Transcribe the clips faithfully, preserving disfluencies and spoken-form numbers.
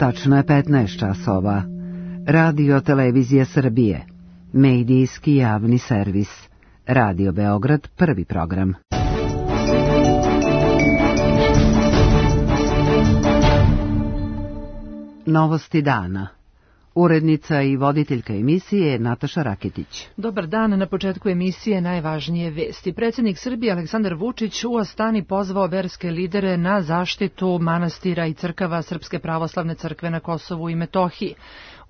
Tačno je petnaest časova. Radio Televizija Srbije. Medijski javni servis. Radio Beograd, prvi program. Novosti dana. Urednica i voditeljka emisije Nataša Raketić. Dobar dan, na početku emisije najvažnije vesti. Predsjednik Srbije Aleksandar Vučić u Astani pozvao verske lidere na zaštitu manastira i crkava Srpske pravoslavne crkve na Kosovu i Metohiji.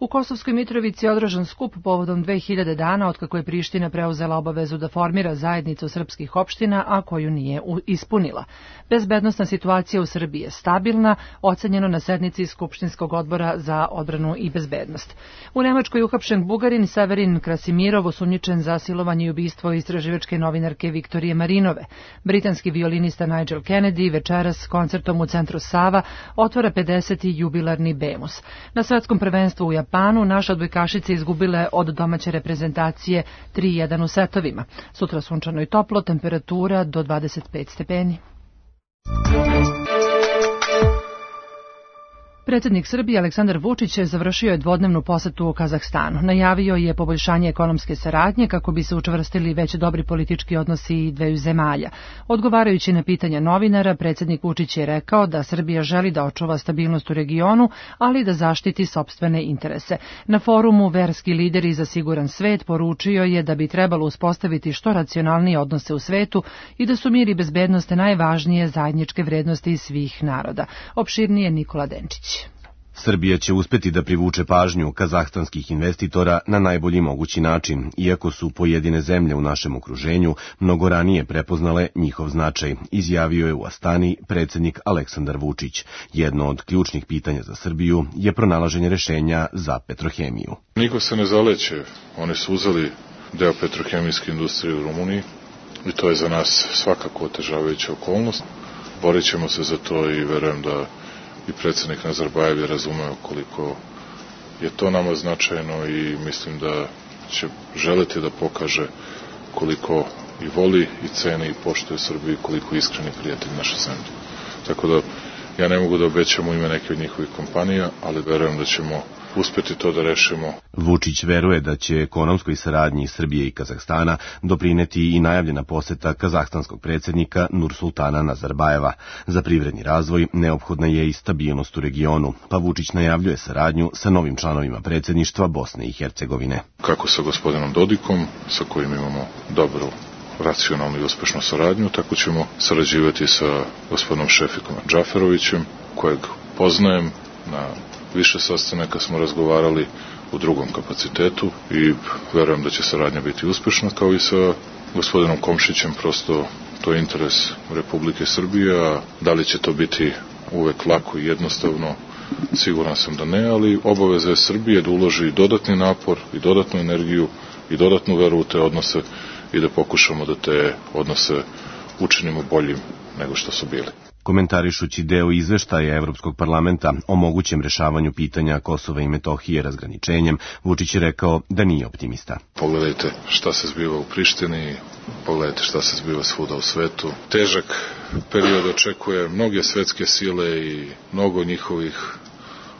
U Kosovskoj Mitrovici je održan skup povodom dve hiljade dana otkako je Priština preuzela obavezu da formira zajednicu srpskih opština, a koju nije ispunila. Bezbednosna situacija u Srbiji je stabilna, ocenjeno na sednici Skupštinskog odbora za odbranu i bezbednost. U Nemačkoj uhapšen Bugarin Severin Krasimirov, osumnjičen za silovanje i ubistvo istraživačke novinarke Viktorije Marinove. Britanski violinista Nigel Kennedy večeras koncertom u centru Sava otvara pedeseti jubilarni Bemus. Na svetskom prvenstvu u Japanu naše odbojkašice izgubile od domaće reprezentacije tri jedan u setovima. Sutra sunčano i toplo, temperatura do dvadeset pet stepeni. Predsjednik Srbije Aleksandar Vučić završio je dvodnevnu posetu u Kazahstanu. Najavio je poboljšanje ekonomske saradnje kako bi se učvrstili već dobri politički odnosi dveju zemalja. Odgovarajući na pitanja novinara, predsjednik Vučić je rekao da Srbija želi da očuva stabilnost u regionu, ali da zaštiti sopstvene interese. Na forumu Verski lideri za siguran svet poručio je da bi trebalo uspostaviti što racionalnije odnose u svetu i da su mir i bezbednost najvažnije zajedničke vrednosti svih naroda. Opširnije Nikola Denčić. Srbija će uspeti da privuče pažnju kazahstanskih investitora na najbolji mogući način, iako su pojedine zemlje u našem okruženju mnogo ranije prepoznale njihov značaj, izjavio je u Astani predsjednik Aleksandar Vučić. Jedno od ključnih pitanja za Srbiju je pronalaženje rešenja za petrohemiju. Niko se ne zaleće, oni su uzeli deo petrohemijske industrije u Rumuniji i to je za nas svakako otežavajuća okolnost. Borit ćemo se za to i verujem da i predsjednik Nazarbajev je razumeo koliko je to nama značajno i mislim da će želeti da pokaže koliko i voli i ceni i poštuje Srbiju i koliko iskreni prijatelj naše zemlje. Tako da ja ne mogu da obećam u ime neke od njihovih kompanija, ali verujem da ćemo uspeti to da rešimo. Vučić veruje da će ekonomskoj saradnji Srbije i Kazahstana doprineti i najavljena poseta kazahstanskog predsjednika Nursultana Nazarbajeva. Za privredni razvoj neophodna je i stabilnost u regionu, pa Vučić najavljuje saradnju sa novim članovima predsjedništva Bosne i Hercegovine. Kako sa gospodinom Dodikom, sa kojim imamo dobru, racionalnu i uspešnu saradnju, tako ćemo sarađivati sa gospodinom Šefikom Džaferovićem, kojeg poznajem. Na više sastanaka smo razgovarali u drugom kapacitetu i verujem da će saradnja biti uspešna, kao i sa gospodinom Komšićem. Prosto to je interes Republike Srbije, a da li će to biti uvek lako i jednostavno, siguran sam da ne, ali obaveza je Srbije da uloži dodatni napor i dodatnu energiju i dodatnu veru u te odnose i da pokušamo da te odnose učinimo boljim nego što su bili. Komentarišući deo izveštaja Evropskog parlamenta o mogućem rešavanju pitanja Kosova i Metohije razgraničenjem, Vučić je rekao da nije optimista. Pogledajte šta se zbiva u Prištini, pogledajte šta se zbiva svuda u svetu. Težak period očekuje mnoge svetske sile i mnogo njihovih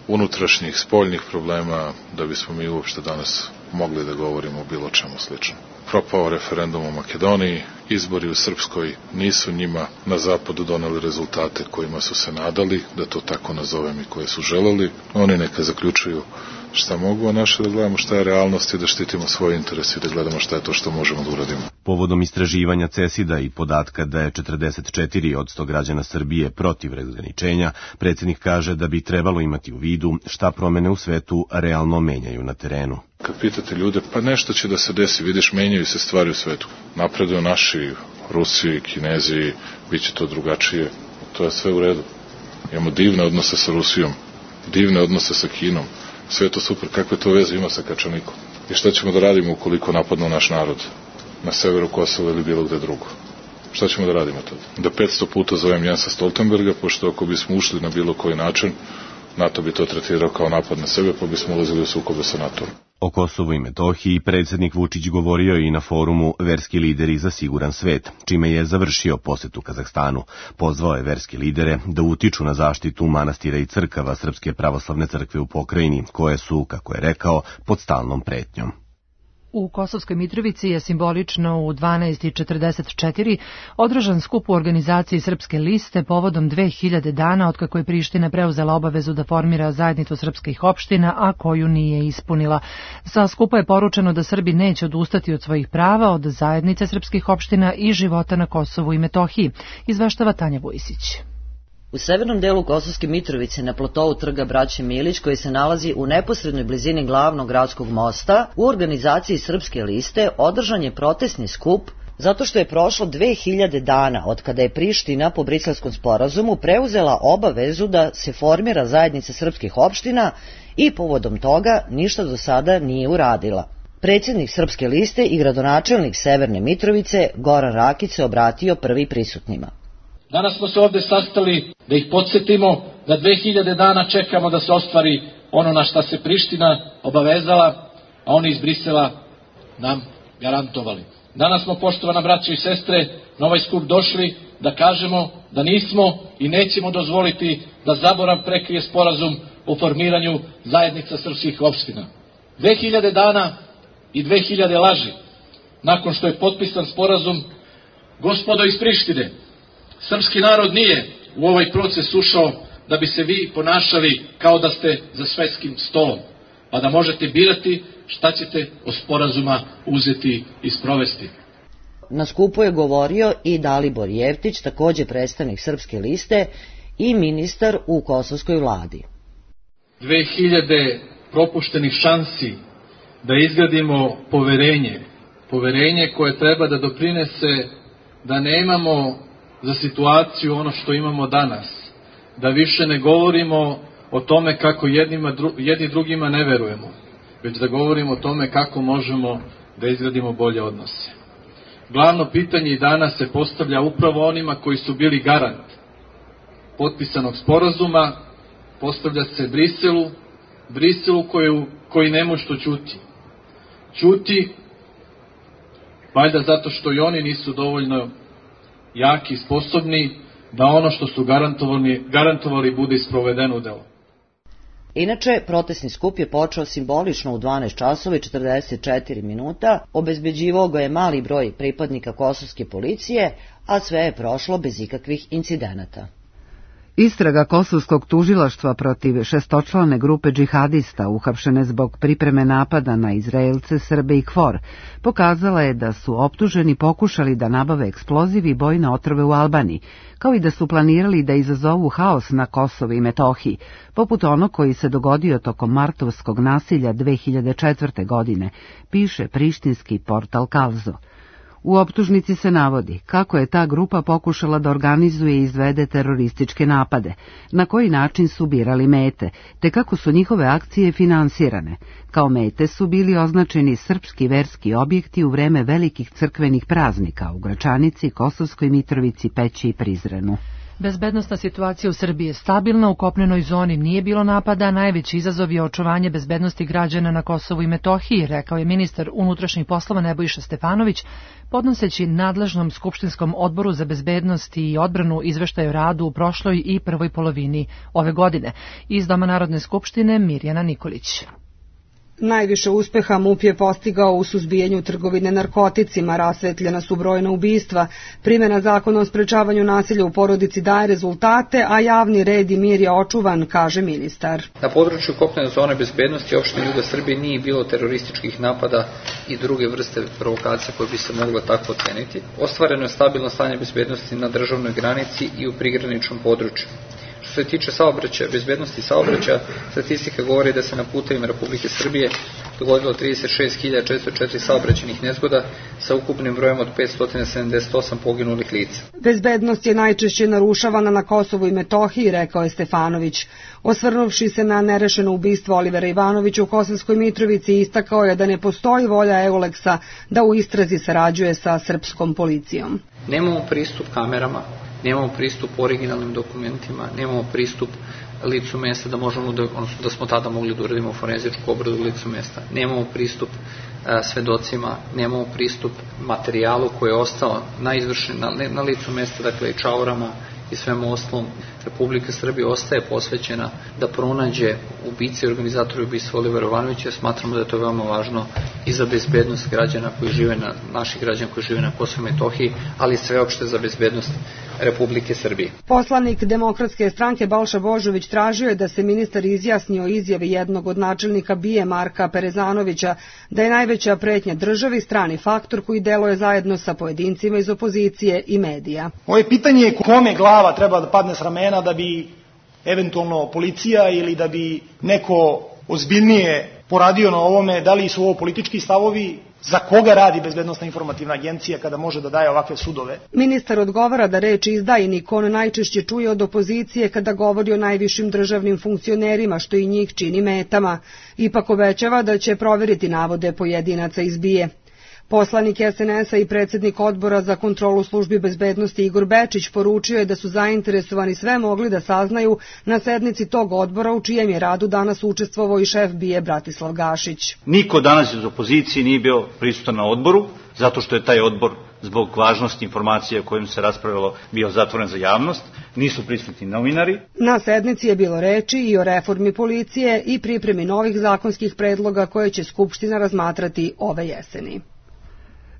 unutrašnjih, spoljnih problema da bismo mi uopšte danas mogli da govorimo o bilo čemu slično. Propao referendum u Makedoniji, izbori u Srpskoj nisu njima na zapadu doneli rezultate kojima su se nadali, da to tako nazovem, i koje su želeli. Oni neka zaključuju šta mogu, a naše da gledamo šta je realnost i da štitimo svoje interese i da gledamo šta je to što možemo da uradimo. Povodom istraživanja CESID-a i podatka da je četrdeset četiri posto građana Srbije protiv razgraničenja, predsjednik kaže da bi trebalo imati u vidu šta promene u svetu realno menjaju na terenu. Kad pitate ljude, pa nešto će da se desi, vidiš, menjaju se stvari u svetu. Napreduju naši, Rusi, Kinezi, bit će to drugačije. To je sve u redu. Imamo divne odnose sa Rusijom, divne odnose sa Kinom. Sve je to super. Kakve to veze ima sa Kačanikom? I šta ćemo da radimo ukoliko napadnu naš narod na severu Kosova ili bilo gde drugo? Šta ćemo da radimo tada? Da petsto puta zovem Jensa Stoltenberga, pošto ako bismo ušli na bilo koji način NATO bi to tretirao kao napad na sebe, pa bismo ulazili u sukobe sa NATO-om. O Kosovu i Metohiji predsjednik Vučić govorio i na forumu Verski lideri za siguran svet, čime je završio posetu Kazahstanu. Pozvao je verske lidere da utiču na zaštitu manastira i crkava Srpske pravoslavne crkve u pokrajini, koje su, kako je rekao, pod stalnom pretnjom. U Kosovskoj Mitrovici je simbolično u dvanaest i četrdeset četiri održan skup u organizaciji Srpske liste povodom dve hiljade dana otkako je Priština preuzela obavezu da formira zajednicu srpskih opština, a koju nije ispunila. Sa skupa je poručeno da Srbi neće odustati od svojih prava, od zajednice srpskih opština i života na Kosovu i Metohiji, izveštava Tanja Vojsić. U severnom delu Kosovske Mitrovice, na platovu trga Braće Milić, koji se nalazi u neposrednoj blizini glavnog gradskog mosta, u organizaciji Srpske liste održan je protestni skup zato što je prošlo dve hiljade dana od kada je Priština po Briselskom sporazumu preuzela obavezu da se formira zajednica srpskih opština i povodom toga ništa do sada nije uradila. Predsjednik Srpske liste i gradonačelnik Severne Mitrovice Goran Rakić se obratio prvi prisutnima. Danas smo se ovde sastali da ih podsjetimo da dve hiljade dana čekamo da se ostvari ono na šta se Priština obavezala, a oni iz Brisela nam garantovali. Danas smo, poštovana braće i sestre, na ovaj skup došli da kažemo da nismo i nećemo dozvoliti da zaborav prekrije sporazum o formiranju zajednica srpskih opština. Dve hiljade dana i dve hiljade laži. Nakon što je potpisan sporazum, gospodo iz Prištine, srpski narod nije u ovaj proces ušao da bi se vi ponašali kao da ste za svetskim stolom, pa da možete birati šta ćete od sporazuma uzeti i sprovesti. Na skupu je govorio i Dalibor Jeftić, takođe predstavnik Srpske liste i ministar u kosovskoj vladi. Dve hiljade propuštenih šansi da izgradimo poverenje, poverenje koje treba da doprinese da nemamo za situaciju ono što imamo danas, da više ne govorimo o tome kako jednima, jedni drugima ne verujemo, već da govorimo o tome kako možemo da izgradimo bolje odnose. Glavno pitanje i danas se postavlja upravo onima koji su bili garant potpisanog sporazuma, postavlja se Briselu, Briselu koju, koji ne može što ćuti. Ćuti, valjda zato što i oni nisu dovoljno jaki i sposobni da ono što su garantovali, garantovali bude isprovedeno u delo. Inače, protestni skup je počeo simbolično u dvanaest časova i četrdeset četiri minuta, obezbeđivao ga je mali broj pripadnika kosovske policije, a sve je prošlo bez ikakvih incidenata. Istraga kosovskog tužilaštva protiv šestočlane grupe džihadista uhapšene zbog pripreme napada na Izraelce, Srbe i KFOR pokazala je da su optuženi pokušali da nabave eksploziv i bojne otrove u Albaniji, kao i da su planirali da izazovu haos na Kosovu i Metohiji, poput onog koji se dogodio tokom martovskog nasilja dve hiljade četvrte. godine, piše prištinski portal Kalzo. U optužnici se navodi kako je ta grupa pokušala da organizuje i izvede terorističke napade, na koji način su birali mete, te kako su njihove akcije finansirane. Kao mete su bili označeni srpski verski objekti u vreme velikih crkvenih praznika u Gračanici, Kosovskoj Mitrovici, Peći i Prizrenu. Bezbednosna situacija u Srbiji je stabilna, u kopnenoj zoni nije bilo napada, najveći izazov je očuvanje bezbednosti građana na Kosovu i Metohiji, rekao je ministar unutrašnjih poslova Nebojša Stefanović, podnoseći nadležnom Skupštinskom odboru za bezbednost i odbranu izveštaj o radu u prošloj i prvoj polovini ove godine. Iz Doma Narodne skupštine Mirjana Nikolić. Najviše uspeha MUP je postigao u suzbijanju trgovine narkoticima, rasvetljena su brojna ubistva, primjena zakona o sprečavanju nasilja u porodici daje rezultate, a javni red i mir je očuvan, kaže ministar. Na području kopnene zone bezbednosti opštine juga Srbije nije bilo terorističkih napada i druge vrste provokacija koje bi se moglo tako oceniti. Ostvareno je stabilno stanje bezbednosti na državnoj granici i u prigraničnom području. Što se tiče saobraćaja, bezbednosti saobraćaja, statistika govori da se na putevima Republike Srbije dogodilo trideset šest hiljada četiristo četiri saobraćajnih nezgoda sa ukupnim brojem od petsto sedamdeset osam poginulih lica. Bezbednost je najčešće narušavana na Kosovu i Metohiji, rekao je Stefanović. Osvrnuvši se na nerešeno ubistvo Olivera Ivanovića u Kosovskoj Mitrovici, istakao je da ne postoji volja Euleksa da u istrazi sarađuje sa srpskom policijom. Nemamo pristup kamerama, nemamo pristup originalnim dokumentima, nemamo pristup licu mesta da možemo da, odnosno da smo tada mogli da uradimo forenzičku obradu licu mesta. Nemamo pristup a, svedocima, nemamo pristup materijalu koji je ostao na, izvršen, na, na licu mesta, dakle i čaurama i svemu ostalom. Republika Srbija ostaje posvećena da pronađe ubice i organizatori ubistva Olivera Ivanovića. Smatramo da je to veoma važno i za bezbednost građana koji žive na, naših građana koji žive na Kosovu i Metohiji, ali sveopšte za bezbednost Republike Srbije. Poslanik Demokratske stranke Balša Božović tražio je da se ministar izjasni o izjavi jednog od načelnika B I E Marka Perezanovića da je najveća pretnja državi strani faktor koji deluje zajedno sa pojedincima iz opozicije i medija. Moje pitanje je kome glava treba da padne s ramena da bi eventualno policija ili da bi neko ozbiljnije poradio na ovome, da li su ovo politički stavovi, za koga radi Bezbednosna informativna agencija kada može da daje ovakve sudove? Ministar odgovara da reč izdajnik on najčešće čuje od opozicije kada govori o najvišim državnim funkcionerima, što i njih čini metama. Ipak obećava da će proveriti navode pojedinaca iz B I E. Poslanik S N S-a i predsjednik odbora za kontrolu službi bezbednosti Igor Bečić poručio je da su zainteresovani sve mogli da saznaju na sednici tog odbora u čijem je radu danas učestvovao i šef B I E Bratislav Gašić. Niko danas iz opozicije nije bio prisutan na odboru, zato što je taj odbor zbog važnosti informacije o kojim se raspravilo bio zatvoren za javnost, nisu prisutni novinari. Na sednici je bilo reči i o reformi policije i pripremi novih zakonskih predloga koje će Skupština razmatrati ove jeseni.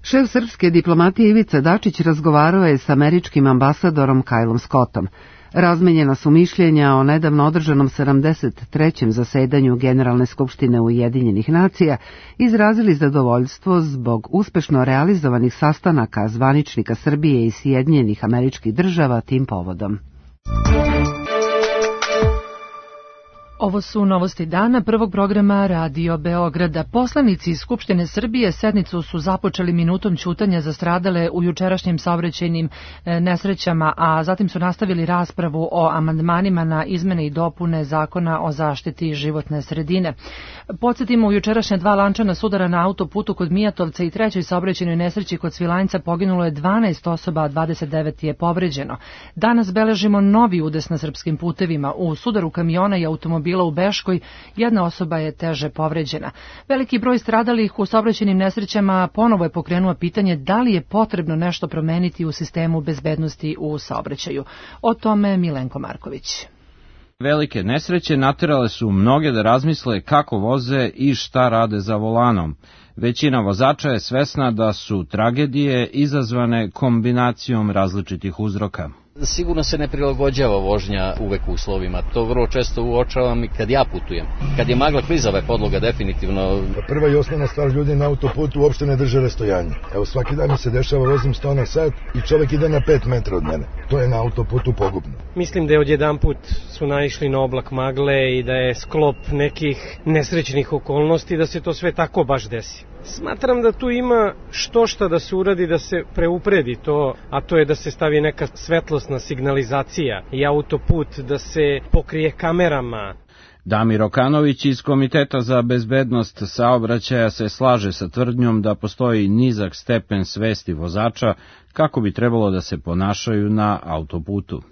Šef srpske diplomatije Ivica Dačić razgovarao je s američkim ambasadorom Kylom Scottom. Razmenjena su mišljenja o nedavno održanom sedamdeset trećem zasedanju Generalne skupštine Ujedinjenih nacija, izrazili zadovoljstvo zbog uspešno realizovanih sastanaka zvaničnika Srbije i Sjedinjenih Američkih Država tim povodom. Ovo su novosti dana prvog programa Radio Beograda. Poslanici iz Skupštine Srbije sednicu su započeli minutom ćutanja za stradale u jučerašnjim saobraćajnim nesrećama, a zatim su nastavili raspravu o amandmanima na izmene i dopune Zakona o zaštiti životne sredine. Podsjetimo, u jučerašnja dva lančana sudara na autoputu kod Mijatovca i trećoj saobraćajnoj nesreći kod Svilajnca poginulo je dvanaest osoba, a dvadeset devet je povređeno. Danas beležimo novi udes na srpskim putevima. U sudaru kamiona i automobila u Beškoj jedna osoba je teže povređena. Veliki broj stradalih u saobraćajnim nesrećama ponovo je pokrenuo pitanje da li je potrebno nešto promeniti u sistemu bezbednosti u saobraćaju. O tome Milenko Marković. Velike nesreće naterale su mnoge da razmisle kako voze i šta rade za volanom. Većina vozača je svesna da su tragedije izazvane kombinacijom različitih uzroka. Sigurno se ne prilagođava vožnja uvek uslovima. To vrlo često uočavam i kad ja putujem. Kad je magla klizava je podloga definitivno. Prva i osnovna stvar, ljudi na autoputu uopšte ne drže rastojanje. Evo, svaki dan mi se dešava, vozim sto na sat i čovek ide na pet metra od mene. To je na autoputu pogubno. Mislim da je odjedanput su naišli na oblak magle i da je sklop nekih nesrećnih okolnosti da se to sve tako baš desi. Smatram da tu ima što šta da se uradi da se preupredi to, a to je da se stavi neka svetlosna signalizacija i autoput da se pokrije kamerama. Damir Okanović iz Komiteta za bezbednost saobraćaja se slaže sa tvrdnjom da postoji nizak stepen svesti vozača kako bi trebalo da se ponašaju na autoputu.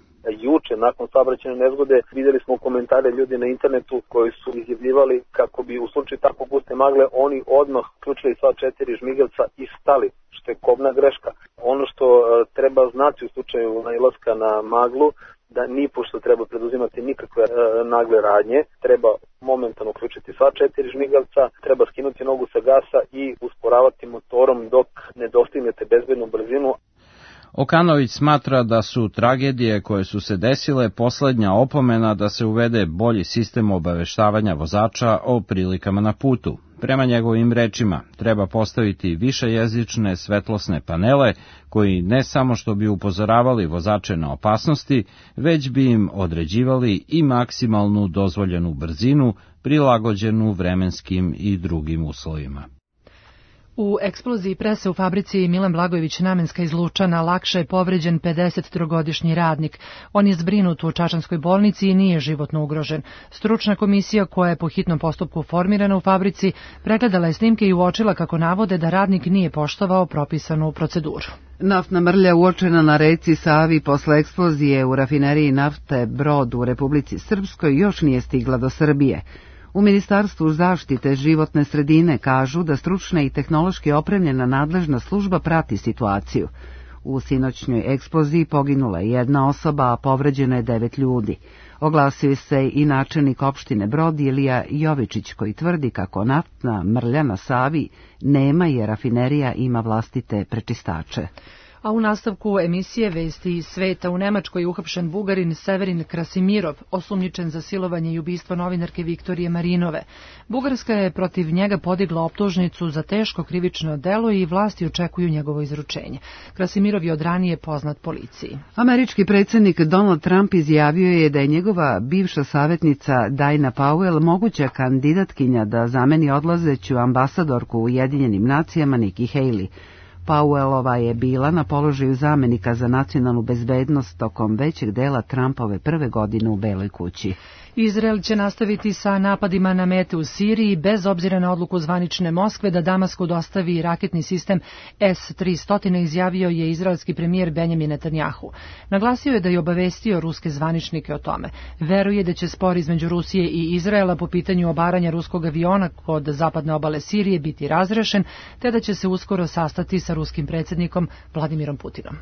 Juče, nakon saobraćajne nezgode, vidjeli smo komentare ljudi na internetu koji su izjavljivali kako bi u slučaju tako guste magle oni odmah uključili sva četiri žmigelca i stali, što je kobna greška. Ono što treba znati u slučaju nailaska na maglu, da nipošto treba preduzimati nikakve e, nagle radnje, treba momentalno uključiti sva četiri žmigelca, treba skinuti nogu sa gasa i usporavati motorom dok ne dostignete bezbednu brzinu. Okanović smatra da su tragedije koje su se desile poslednja opomena da se uvede bolji sistem obaveštavanja vozača o prilikama na putu. Prema njegovim rečima, treba postaviti višejezične svetlosne panele koji ne samo što bi upozoravali vozače na opasnosti, već bi im određivali i maksimalnu dozvoljenu brzinu prilagođenu vremenskim i drugim uslovima. U eksploziji prese u fabrici Milan Blagojević Namenska iz Lučana lakše je povređen pedesettrogodišnji radnik. On je zbrinut u čačanskoj bolnici i nije životno ugrožen. Stručna komisija koja je po hitnom postupku formirana u fabrici pregledala je snimke i uočila kako navode da radnik nije poštovao propisanu proceduru. Naftna mrlja uočena na reci Savi posle eksplozije u rafineriji nafte Brod u Republici Srpskoj još nije stigla do Srbije. U Ministarstvu zaštite životne sredine kažu da stručna i tehnološki opremljena nadležna služba prati situaciju. U sinoćnjoj eksploziji poginula je jedna osoba, a povređeno je devet ljudi. Oglasio se i načelnik opštine Brod Ilija Jovičić koji tvrdi kako naftna mrlja na Savi nema jer rafinerija ima vlastite prečistače. A u nastavku emisije Vesti iz sveta u Nemačkoj je uhapšen Bugarin Severin Krasimirov, osumnjičen za silovanje i ubistvo novinarke Viktorije Marinove. Bugarska je protiv njega podigla optužnicu za teško krivično delo i vlasti očekuju njegovo izručenje. Krasimirov je od ranije poznat policiji. Američki predsjednik Donald Trump izjavio je da je njegova bivša savjetnica Dina Powell moguća kandidatkinja da zameni odlazeću ambasadorku u Ujedinjenim nacijama Nikki Haley. Powellova je bila na položaju zamenika za nacionalnu bezbednost tokom većeg dela Trumpove prve godine u Beloj kući. Izrael će nastaviti sa napadima na mete u Siriji bez obzira na odluku zvanične Moskve da Damasku dostavi raketni sistem S tristo, izjavio je izraelski premijer Benjamin Netanjahu. Naglasio je da je obavestio ruske zvaničnike o tome. Veruje da će spor između Rusije i Izraela po pitanju obaranja ruskog aviona kod zapadne obale Sirije biti razrešen, te da će se uskoro sastati sa ruskim predsjednikom Vladimirom Putinom.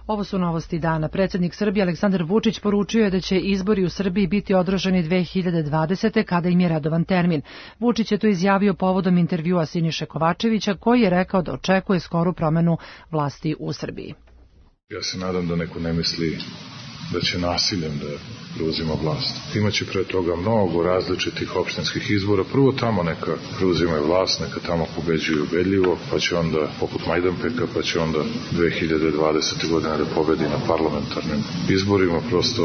Ovo su novosti dana. Predsjednik Srbije Aleksandar Vučić poručio je da će izbori u Srbiji biti održani dve hiljade dvadesete. kada im je redovan termin. Vučić je to izjavio povodom intervjua Siniše Kovačevića koji je rekao da očekuje skoru promenu vlasti u Srbiji. Ja se nadam da neko ne misli da će nasiljem da preuzima vlast. Imaće pre toga mnogo različitih opštinskih izbora. Prvo tamo neka preuzimaju vlast, neka tamo pobeđuju ubedljivo, pa će onda, poput Majdanpeka, pa će onda dve hiljade dvadesete. godine da pobedi na parlamentarnim izborima, prosto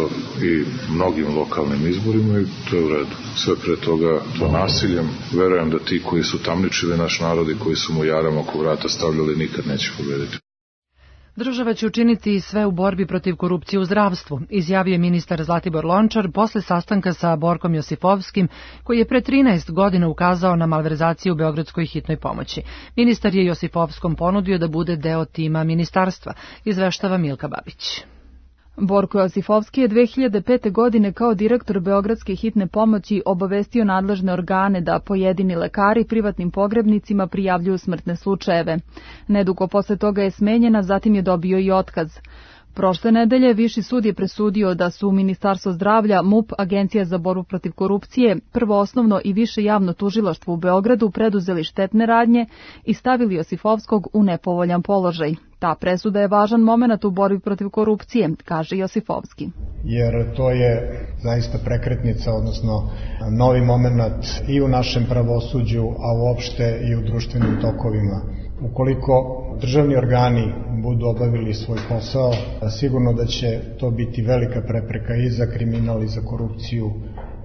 i mnogim lokalnim izborima i to je u redu. Sve pre toga to nasiljem. Verujem da ti koji su tamničili naš narod i koji su mu jaram oko vrata stavljali nikad neće pobediti. Država će učiniti sve u borbi protiv korupcije u zdravstvu, izjavio je ministar Zlatibor Lončar posle sastanka sa Borkom Josifovskim, koji je pre trinaest godina ukazao na malverzaciju u Beogradskoj hitnoj pomoći. Ministar je Josifovskom ponudio da bude deo tima ministarstva, izveštava Milka Babić. Borko Josifovski je dve hiljade pete. godine kao direktor Beogradske hitne pomoći obavestio nadležne organe da pojedini lekari privatnim pogrebnicima prijavljuju smrtne slučajeve. Nedugo posle toga je smenjena, zatim je dobio i otkaz. Prošle nedelje Viši sud je presudio da su Ministarstvo zdravlja, M U P, Agencija za borbu protiv korupcije, Prvo osnovno i Više javno tužilaštvo u Beogradu preduzeli štetne radnje i stavili Josifovskog u nepovoljan položaj. Ta presuda je važan moment u borbi protiv korupcije, kaže Josifovski. Jer to je zaista prekretnica, odnosno novi moment i u našem pravosuđu, a uopšte i u društvenim tokovima. Ukoliko državni organi budu obavili svoj posao, sigurno da će to biti velika prepreka i za kriminal i za korupciju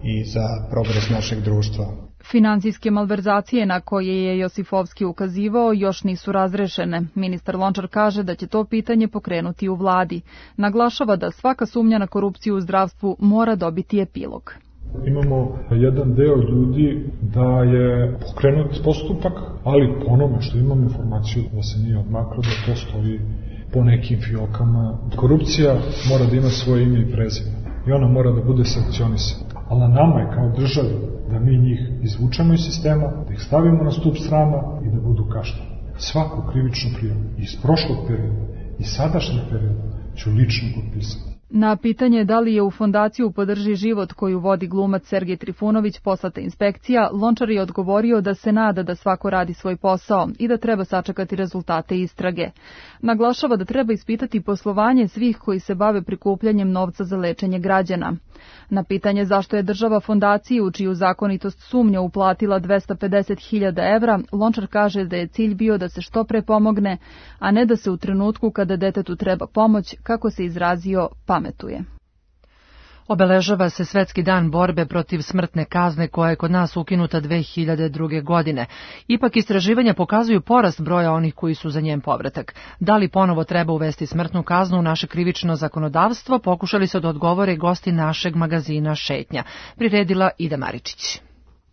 i za progres našeg društva. Finansijske malverzacije na koje je Josifovski ukazivao još nisu razrešene. Ministar Lončar kaže da će to pitanje pokrenuti u vladi. Naglašava da svaka sumnja na korupciju u zdravstvu mora dobiti epilog. Imamo jedan deo ljudi da je pokrenut postupak, ali po onome što imamo informaciju da se nije odmaklo, da to stoji po nekim fiokama. Korupcija mora da ima svoje ime i prezime i ona mora da bude sankcionisana. Ali na nama je kao državi da mi njih izvučemo iz sistema, da ih stavimo na stup srama i da budu kažnjeni. Svaku krivičnu prijavu iz prošlog perioda i sadašnjeg perioda ću lično potpisati. Na pitanje da li je u fondaciju Podrži život koju vodi glumac Sergej Trifunović poslata inspekcija, Lončar je odgovorio da se nada da svako radi svoj posao i da treba sačekati rezultate istrage. Naglašava da treba ispitati poslovanje svih koji se bave prikupljanjem novca za lečenje građana. Na pitanje zašto je država fondaciji u čiju zakonitost sumnja uplatila dvesta pedeset hiljada evra, Lončar kaže da je cilj bio da se što pre pomogne, a ne da se u trenutku kada detetu treba pomoć, kako se izrazio, pametuje. Obeležava se Svetski dan borbe protiv smrtne kazne koja je kod nas ukinuta dve hiljade druge. godine. Ipak istraživanja pokazuju porast broja onih koji su za njen povratak. Da li ponovo treba uvesti smrtnu kaznu u naše krivično zakonodavstvo, pokušali su da odgovore gosti našeg magazina Šetnja. Priredila Ida Maričić.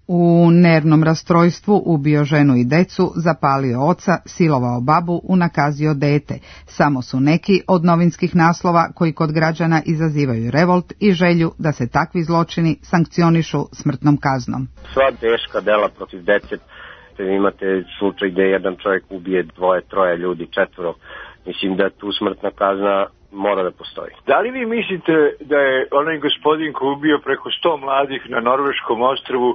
U nervnom rastrojstvu ubio ženu i decu, zapalio oca, silovao babu, unakazio dete. Samo su neki od novinskih naslova koji kod građana izazivaju revolt i želju da se takvi zločini sankcionišu smrtnom kaznom. Sva teška dela protiv dece, imate slučaj gde jedan čovjek ubije dvoje, troje ljudi, četvoro. Mislim da tu smrtna kazna mora da postoji. Da li vi mislite da je onaj gospodin koji ubio preko sto mladih na norveškom ostrvu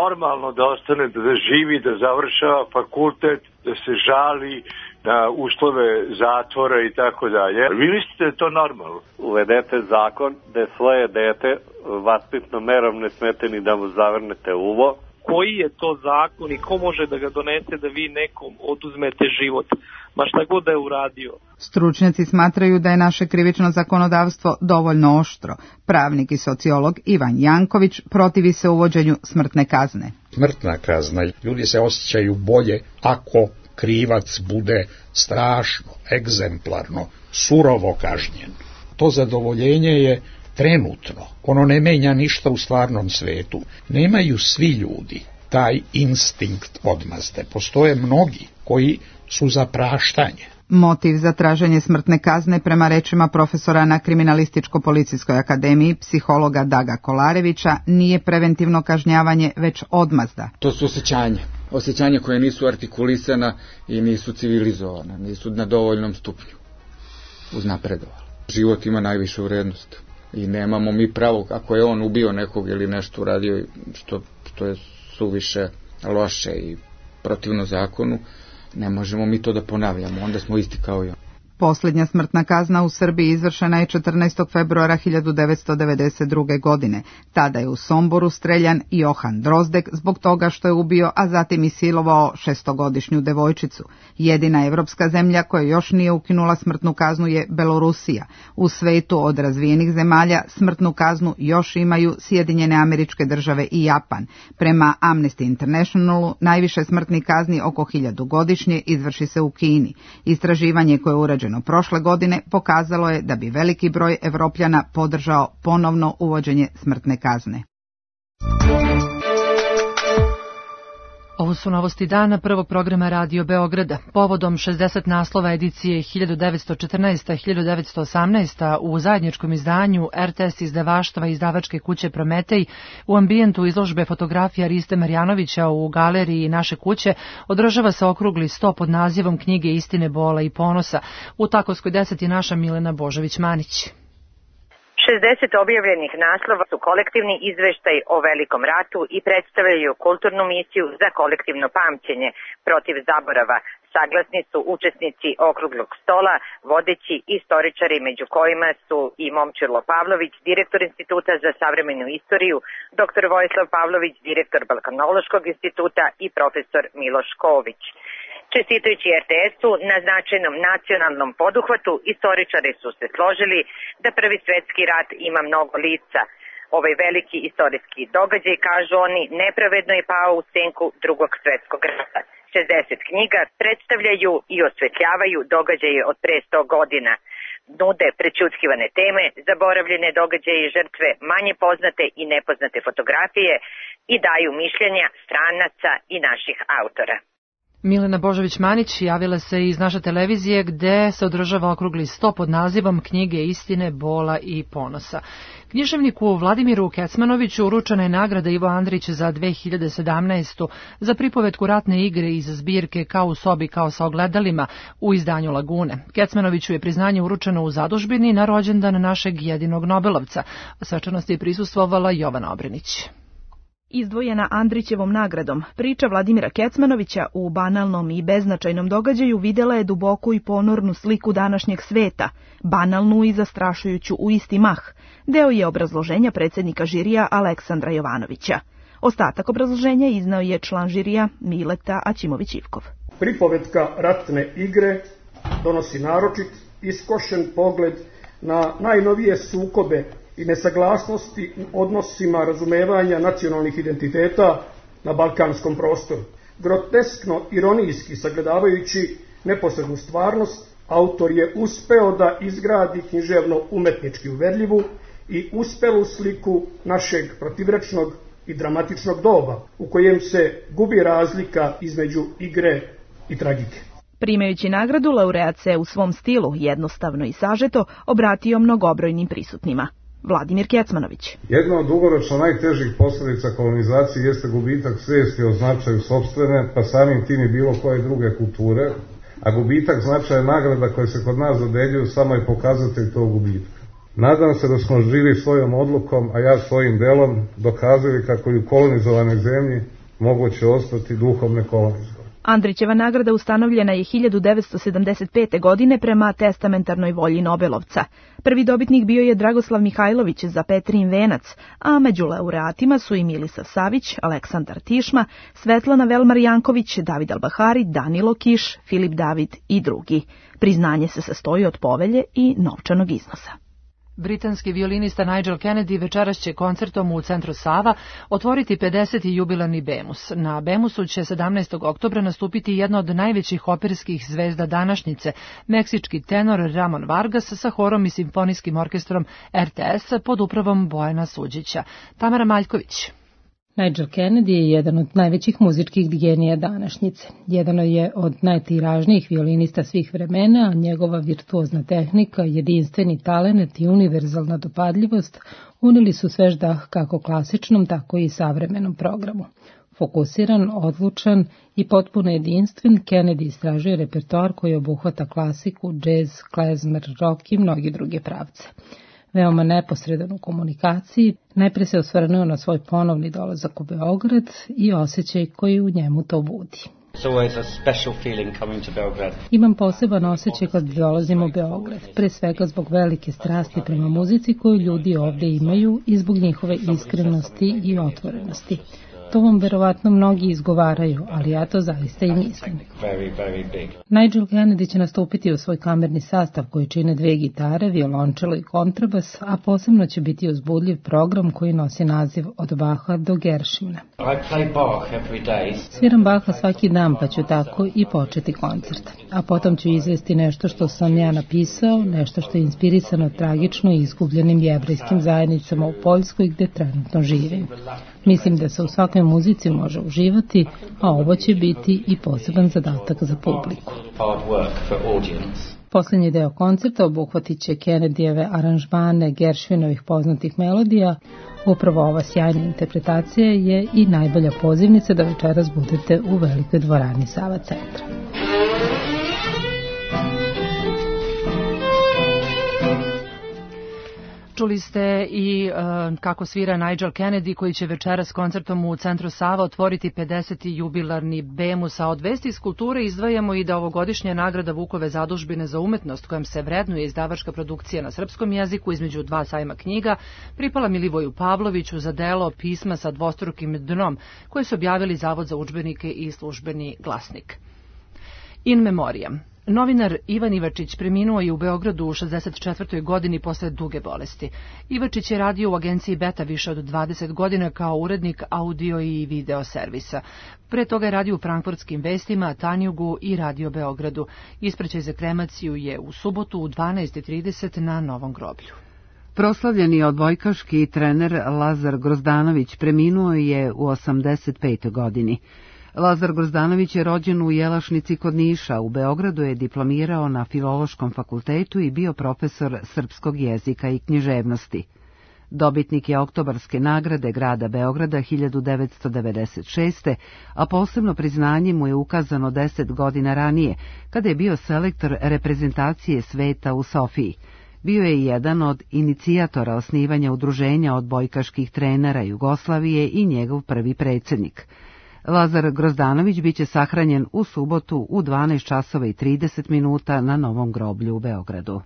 normalno da ostane, da živi, da završava fakultet, da se žali na uslove zatvora i tako dalje? Vi mislite da je to normalno? Uvedete zakon da svoje dete vaspitnom merom ne smete ni da mu zavrnete uvo. Koji je to zakon i ko može da ga donese da vi nekom oduzmete život, ma šta god da je uradio? Stručnjaci smatraju da je naše krivično zakonodavstvo dovoljno oštro. Pravnik i sociolog Ivan Janković protivi se uvođenju smrtne kazne. Smrtna kazna, ljudi se osjećaju bolje ako krivac bude strašno, egzemplarno, surovo kažnjen. To zadovoljenje je trenutno, ono ne menja ništa u stvarnom svetu. Nemaju svi ljudi taj instinkt odmazde. Postoje mnogi koji su za praštanje. Motiv za traženje smrtne kazne prema rečima profesora na Kriminalističko-policijskoj akademiji, psihologa Daga Kolarevića, nije preventivno kažnjavanje, već odmazda. To su osjećanja. Osjećanja koje nisu artikulisana i nisu civilizovana, nisu na dovoljnom stupnju uznapredovali. Život ima najvišu vrednost. I nemamo mi pravo, ako je on ubio nekog ili nešto uradio što, što je suviše loše i protivno zakonu, ne možemo mi to da ponavljamo, onda smo isti kao i on. Posljednja smrtna kazna u Srbiji izvršena je četrnaestog februara hiljadu devetsto devedeset druge. godine. Tada je u Somboru streljan Johan Drozdek zbog toga što je ubio, a zatim i silovao šestogodišnju devojčicu. Jedina evropska zemlja koja još nije ukinula smrtnu kaznu je Belorusija. U svetu od razvijenih zemalja smrtnu kaznu još imaju Sjedinjene Američke Države i Japan. Prema Amnesty Internationalu najviše smrtnih kazni, oko hiljadu godišnje, izvrši se u Kini. Istraživanje koje je urađeno prošle godine pokazalo je da bi veliki broj Evropljana podržao ponovno uvođenje smrtne kazne. Ovo su novosti dana prvog programa Radio Beograda. Povodom šezdeset naslova edicije hiljadu devetsto četrnaesta – hiljadu devetsto osamnaesta u zajedničkom izdanju R T S izdavaštva izdavačke kuće Prometej u ambijentu izložbe fotografija Riste Marjanovića u galeriji Naše kuće održava se okrugli sto pod nazivom Knjige istine, bola i ponosa. U Takovskoj deset je naša Milena Božović-Manić. šezdeset objavljenih naslova su kolektivni izveštaj o Velikom ratu i predstavljaju kulturnu misiju za kolektivno pamćenje protiv zaborava. Saglasni su učesnici okruglog stola, vodeći istoričari, među kojima su i Momčilo Pavlović, direktor Instituta za savremenu istoriju, doktor Vojislav Pavlović, direktor Balkanološkog instituta i profesor Miloš Ković. Čestitajući R T S-u na značajnom nacionalnom poduhvatu, istoričari su se složili da Prvi svetski rat ima mnogo lica. Ovaj veliki istorijski događaj, kažu oni, nepravedno je pao u senku Drugog svetskog rata. šezdeset knjiga predstavljaju i osvetljavaju događaje od pre sto godina. Nude prećutkivane teme, zaboravljene događaje i žrtve, manje poznate i nepoznate fotografije i daju mišljenja stranaca i naših autora. Milena Božović-Manić javila se iz naše televizije gde se održava okrugli sto pod nazivom Knjige istine, bola i ponosa. Književniku Vladimiru Kecmanoviću uručena je nagrada Ivo Andrić za dve hiljade sedamnaestu. za pripovetku Ratne igre iz zbirke Kao u sobi, kao sa ogledalima u izdanju Lagune. Kecmanoviću je priznanje uručeno u zadužbini na rođendan našeg jedinog Nobelovca. Svečanosti je prisustvovala Jovana Obrenić. Izdvojena Andrićevom nagradom, priča Vladimira Kecmanovića u banalnom i beznačajnom događaju videla je duboku i ponornu sliku današnjeg sveta, banalnu i zastrašujuću u isti mah. Deo je obrazloženja predsjednika žirija Aleksandra Jovanovića. Ostatak obrazloženja iznao je član žirija Mileta Aćimović-Ivkov. Pripovetka Ratne igre donosi naročit iskošen pogled na najnovije sukobe i nesaglasnosti u odnosima razumevanja nacionalnih identiteta na balkanskom prostoru. Groteskno ironijski sagledavajući neposrednu stvarnost, autor je uspeo da izgradi književno-umetnički uverljivu i uspelu sliku našeg protivrečnog i dramatičnog doba, u kojem se gubi razlika između igre i tragike. Primajući nagradu, laureat se u svom stilu, jednostavno i sažeto, obratio mnogobrojnim prisutnima. Vladimir Kecmanović. Jedna od dugoročno najtežih posljedica kolonizacije jeste gubitak svijesti o značaju sopstvene, pa samim tim i bilo koje druge kulture, a gubitak značaja nagrada koje se kod nas dodeljuju samo je pokazatelj tog gubitka. Nadam se da smo živi svojom odlukom, a ja svojim delom, dokazali kako i u kolonizovanoj zemlji moguće ostati duhom nekolonizovani. Andrićeva nagrada ustanovljena je hiljadu devetsto sedamdeset pete. godine prema testamentarnoj volji Nobelovca. Prvi dobitnik bio je Dragoslav Mihajlović za Petrin venac, a među laureatima su i Milisav Savić, Aleksandar Tišma, Svetlana Velmar Janković, David Albahari, Danilo Kiš, Filip David i drugi. Priznanje se sastoji od povelje i novčanog iznosa. Britanski violinista Nigel Kennedy večeras će koncertom u centru Sava otvoriti pedeseti jubilarni Bemus. Na Bemusu će sedamnaestog oktobra nastupiti jedna od najvećih operskih zvezda današnjice, meksički tenor Ramon Vargas sa horom i simfonijskim orkestrom R T S pod upravom Bojana Suđića. Tamara Maljković. Nigel Kennedy je jedan od najvećih muzičkih genija današnjice. Jedan je od najtiražnijih violinista svih vremena, a njegova virtuozna tehnika, jedinstveni talenat i univerzalna dopadljivost unili su svež dah kako klasičnom, tako i savremenom programu. Fokusiran, odlučan i potpuno jedinstven, Kennedy istražuje repertoar koji obuhvata klasiku, džez, klezmer, rock i mnogi druge pravce. Veoma neposredan u komunikaciji, najpre se osvrnuo na svoj ponovni dolazak u Beograd i osjećaj koji u njemu to budi. Imam poseban osjećaj kad dolazim u Beograd, pre svega zbog velike strasti prema muzici koju ljudi ovdje imaju i zbog njihove iskrenosti i otvorenosti. To vam verovatno mnogi izgovaraju, ali ja to zaista i mislim. Nigel Kennedy će nastupiti u svoj kamerni sastav koji čine dve gitare, violončelo i kontrabas, a posebno će biti uzbudljiv program koji nosi naziv Od Baha do Gershwina. Sviram Baha svaki dan, pa ću tako i početi koncert. A potom ću izvesti nešto što sam ja napisao, nešto što je inspirisano tragično i izgubljenim jevrejskim zajednicama u Poljskoj gde trenutno živim. Mislim da se u svakoj muzici može uživati, a ovo će biti i poseban zadatak za publiku. Posljednji deo koncerta obuhvatit će Kennedyjeve aranžmane Gershwinovih poznatih melodija. Upravo ova sjajna interpretacija je i najbolja pozivnica da večeras budete u velikoj dvorani Sava centra. Čuli ste i uh, kako svira Nigel Kennedy koji će večeras koncertom u centru Sava otvoriti pedeseti jubilarni Bemus, a od vesti iz kulture izdvajamo i da ovogodišnja nagrada Vukove zadužbine za umetnost kojom se vrednuje izdavačka produkcija na srpskom jeziku između dva sajma knjiga pripala Milivoju Pavloviću za delo Pisma sa dvostrukim dnom koje su objavili Zavod za udžbenike i Službeni glasnik. In memoriam. Novinar Ivan Ivačić preminuo je u Beogradu u šezdeset četvrtoj godini posle duge bolesti. Ivačić je radio u agenciji Beta više od dvadeset godina kao urednik audio i video servisa. Pre toga je radio u Frankfurtskim vestima, Tanjugu i Radio Beogradu. Ispraćaj za kremaciju je u subotu u dvanaest i trideset na Novom groblju. Proslavljeni odbojkaški trener Lazar Grozdanović preminuo je u osamdeset petoj godini. Lazar Grozdanović je rođen u Jelašnici kod Niša, u Beogradu je diplomirao na Filološkom fakultetu i bio profesor srpskog jezika i književnosti. Dobitnik je Oktobarske nagrade grada Beograda hiljadu devetsto devedeset šeste. a posebno priznanje mu je ukazano deset godina ranije, kada je bio selektor reprezentacije sveta u Sofiji. Bio je jedan od inicijatora osnivanja udruženja odbojkaških trenera Jugoslavije i njegov prvi predsjednik. Lazar Grozdanović biće sahranjen u subotu u dvanaest časova i trideset minuta na Novom groblju u Beogradu.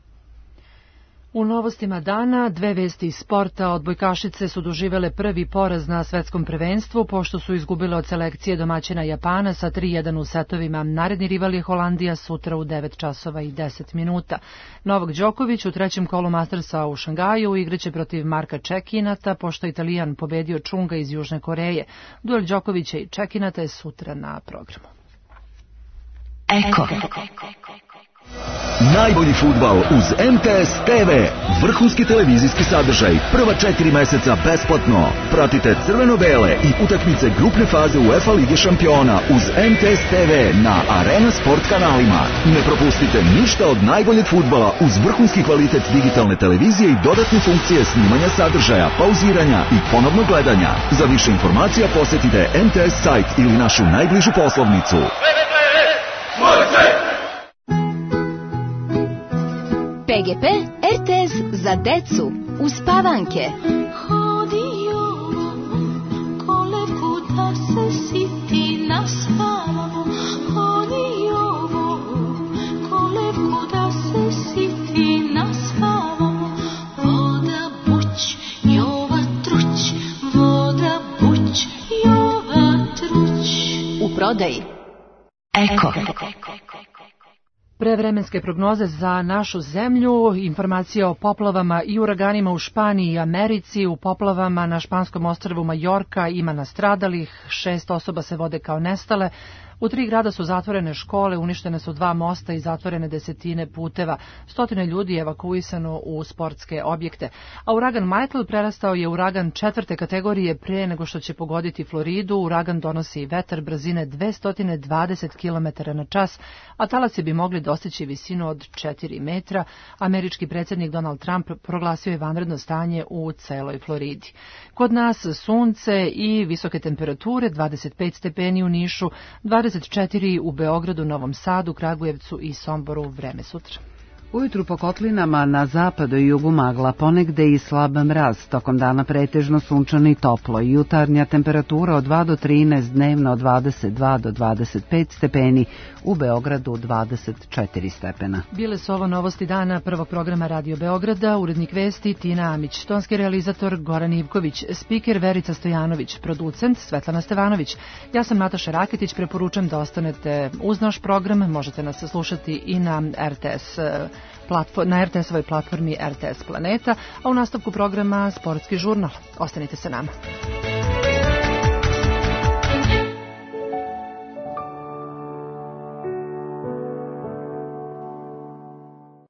U novostima dana dve vesti iz sporta. Odbojkašice su doživele prvi poraz na svetskom prvenstvu pošto su izgubile od selekcije domaćina Japana sa tri jedan u setovima. Naredni rival je Holandija sutra u devet časova i deset minuta. Novak Đoković u trećem kolu Mastersa u Šangaju igraće protiv Marka Čekinata pošto Italijan pobedio Čunga iz Južne Koreje. Duel Đokovića i Čekinata je sutra na programu. Eko. Najbolji fudbal uz M T S T V. Vrhunski televizijski sadržaj. Prva četiri meseca besplatno. Pratite crveno-bele i utakmice grupne faze UEFA Lige šampiona uz M T S T V na Arena Sport kanalima. Ne propustite ništa od najboljeg fudbala uz vrhunski kvalitet digitalne televizije i dodatne funkcije snimanja sadržaja, pauziranja i ponovnog gledanja. Za više informacija posjetite M T S sajt ili našu najbližu poslovnicu. P G P R T S za decu uspavanke. Hodio kolevku da se siti naspavamo. Hodio kolevku da se siti naspavamo. Voda buć, jova truć, voda buć, jova truć. U prodaji Eko. Prevremenske prognoze za našu zemlju, informacije o poplavama i uraganima u Španiji i Americi. U poplavama na španskom ostrvu Majorka ima nastradalih, šest osoba se vode kao nestale. U tri grada su zatvorene škole, uništene su dva mosta i zatvorene desetine puteva. Stotine ljudi je evakuisano u sportske objekte. A uragan Michael prerastao je uragan četvrte kategorije pre nego što će pogoditi Floridu. Uragan donosi vetar brzine dvesta dvadeset kilometara na čas, a talasi bi mogli dostići visinu od četiri metra. Američki predsjednik Donald Trump proglasio je vanredno stanje u celoj Floridi. Kod nas sunce i visoke temperature, dvadeset pet stepeni u Nišu, dvadeset četiri u Beogradu, Novom Sadu, Kragujevcu i Somboru. Vreme sutra. Ujutru po kotlinama na zapadu i jugu magla, ponegde i slab mraz, tokom dana pretežno sunčano i toplo, jutarnja temperatura od dva do trinaest, dnevno od dvadeset dva do dvadeset pet stepeni, u Beogradu dvadeset četiri stepena. Bile su ovo novosti dana prvog programa Radio Beograda, urednik vesti Tina Amić, tonski realizator Goran Ivković, spiker Verica Stojanović, producent Svetlana Stevanović. Ja sam Nataša Raketić, preporučam da ostanete uz naš program, možete nas slušati i na R T S na R T S-ovoj platformi R T S Planeta, a u nastavku programa Sportski žurnal. Ostanite sa nama.